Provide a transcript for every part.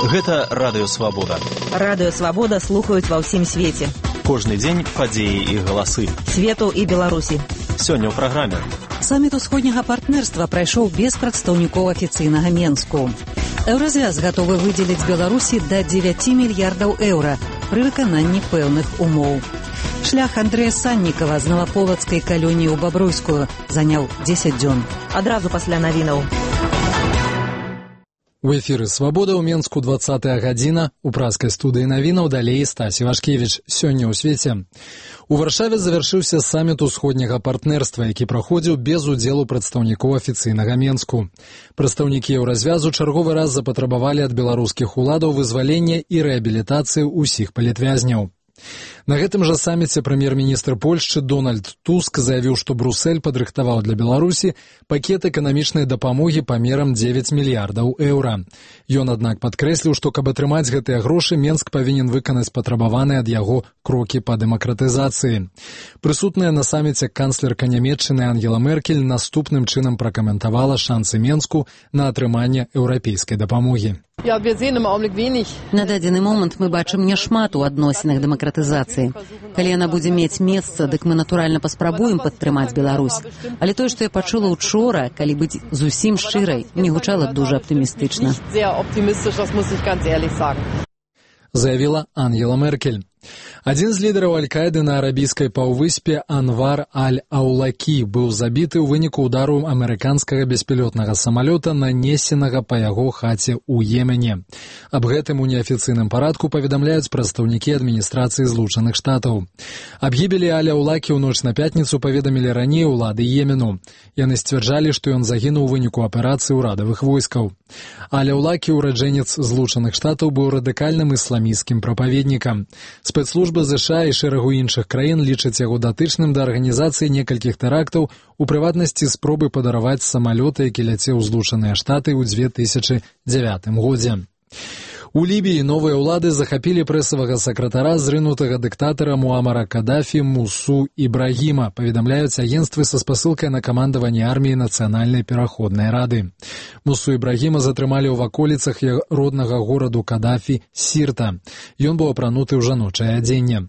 Гэта Радыё Свабода. Радыё Свабода слухаюць ва ўсім свеце. Кожны дзень падзеі і галасы. Свету і Беларусі. Сёння ў праграме. Саміт усходняга партнерства прайшоў без прадстаўнікоў афіцыйнага Менску. Еўразвяз гатовы выдзеліць Беларусі да 9 мільярдаў еўра пры выкананні пэўных умоў. Шлях Андрэя Саннікава з Наваполацкай калоніі ў Бабруйскую заняў 10 дзён. Адразу пасля навінаў. У эфіры «Свабода» ў Менску 20-я гадзіна. У праскай студыі навінаў далей Стась Івашкевіч. Сёння ў свеце. У Варшаве завяршыўся саміт усходняга партнерства, які праходзіў без удзелу прадстаўнікоў афіцыйнага Менску. Прадстаўнікі еўразвязу чарговы раз запатрабавалі ад беларускіх уладаў вызвалення і рэабілітацыі ўсіх палітвязняў. На гэтым жа саміце прэм'ер-міністр Польшчы Дональд Туск заявіў, што Брюссель падрыхтаваў для Беларусі пакет эканамічнай дапамогі памерам 9 мільярдаў еўра. Ён, аднак, падкрэсліў, што каб атрымаць гэтыя грошы, Менск павінен выканаць патрабаваныя ад яго крокі па дэмакратызацыі. Прысутная на саміце канцлерка Нямецчыны Ангела Меркель наступным чынам пракаментавала шансы Менску на атрыманне еўрапейскай дапамогі. На дадзены момант мы бачым няшмат у адносінах дэмакратызацыі. Калі яна будзе мець месца, дык мы натуральна паспрабуем падтрымаць Беларусь. Але тое, што я пачула учора, калі быць зусім шчырай, не гучала дужа аптымістычна. Заявіла Ангела Меркель. Адзін з лідараў Аль-Каіды на арабійскай паўвыспе Анвар Аль-Аулакі быў забіты ў выніку ўдару амерыканскага беспілотнага самалёта, нанесенага па яго хаце ў Йемене. Аб гэтым у неафіцыйным парадку паведамляюць прадстаўнікі адміністрацыі Злучаных Штатаў. Аб гібелі Аль-Аулакі ў ноч на пятніцу паведамілі раней улады Йемену. Яны сцвярджалі, што ён загінуў у выніку аперацыі ўрадавых войскаў. Аль-Аулакі, ураджэнец Злучаных Штатаў, быў радыкальным ісламісцкім прапаведнікам. Спецслужбы ЗША і шэрагу іншых краін лічаць яго датычным да арганізацыі некалькіх тэрактаў, у прыватнасці спробы падараваць самалёт, які ляцеў у Злучаныя Штаты ў 2009 годзе. У Лібіі новыя ўлады захапілі прэсавага сакратара зрынутага дыктатара Муамара Кадафі Мусу Ібрагіма, паведамляюць агенцтвы са спасылкай на камандаванне арміі Нацыянальнай пераходнай рады. Мусу Ібрагіма затрымалі ў ваколіцах роднага гораду Кадафі Сірта. Ён быў апрануты ў жаночае адзенне.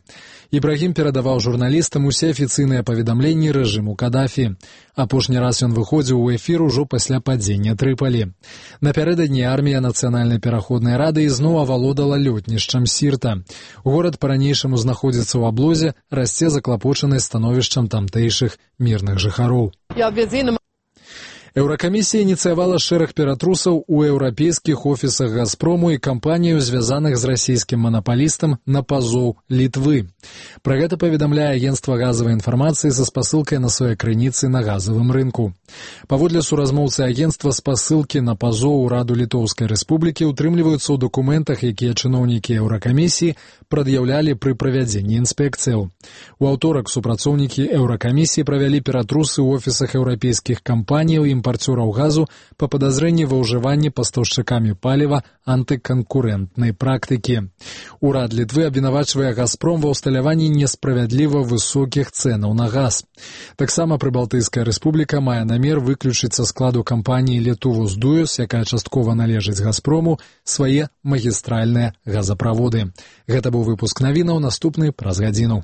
Ібрагім перадаваў журналістам усе афіцыйныя паведамленні рэжыму Кадафі. Апошні раз ён выходзіў у эфір ужо пасля падзення Трыпалі. Напярэдадні армія Нацыянальнай пераходнай рады ізноў авалодала лётнішчам Сірта. Горад па-ранейшаму знаходзіцца ў аблозе, расце заклапочанасць становішчам тамтэйшых мірных жыхароў. Еўракамісія ініцыявала шэраг ператрусаў у еўрапейскіх офісах «Газпрому» і кампанію, звязаных з расійскім манапалістам, на пазоў Літвы. Пра гэта паведамляе агенцтва газавай інфармацыі са спасылкай на свае крыніцы на газавым рынку. Паводле суразмоўцы агенцтва, спасылкі на пазоў у Раду Літоўскай Рэспублікі ўтрымліваюцца ў дакументах, якія чыноўнікі еўракамісіі прад'яўлялі пры правядзенні інспекцыяў. У аўторак супрацоўнікі еўракамісіі правялі ператрусы ў офісах еўрапейскіх кампаніяў і імпарцёраў газу па падазрэнні ва ўжыванні пастаўшчыкамі паліва антыканкурэнтнай практыкі. Урад Літвы абвінавачвае «Газпром» ва ўсталяванні несправядліва высокіх цэнаў на газ. Таксама Прыбалтыйская рэспубліка мае намер выключыць са складу кампаніі «Літувус-Дуюс», якая часткова належыць «Газпрому», свае магістральныя газаправоды. Гэта быў выпуск навінаў, наступны праз гадзіну.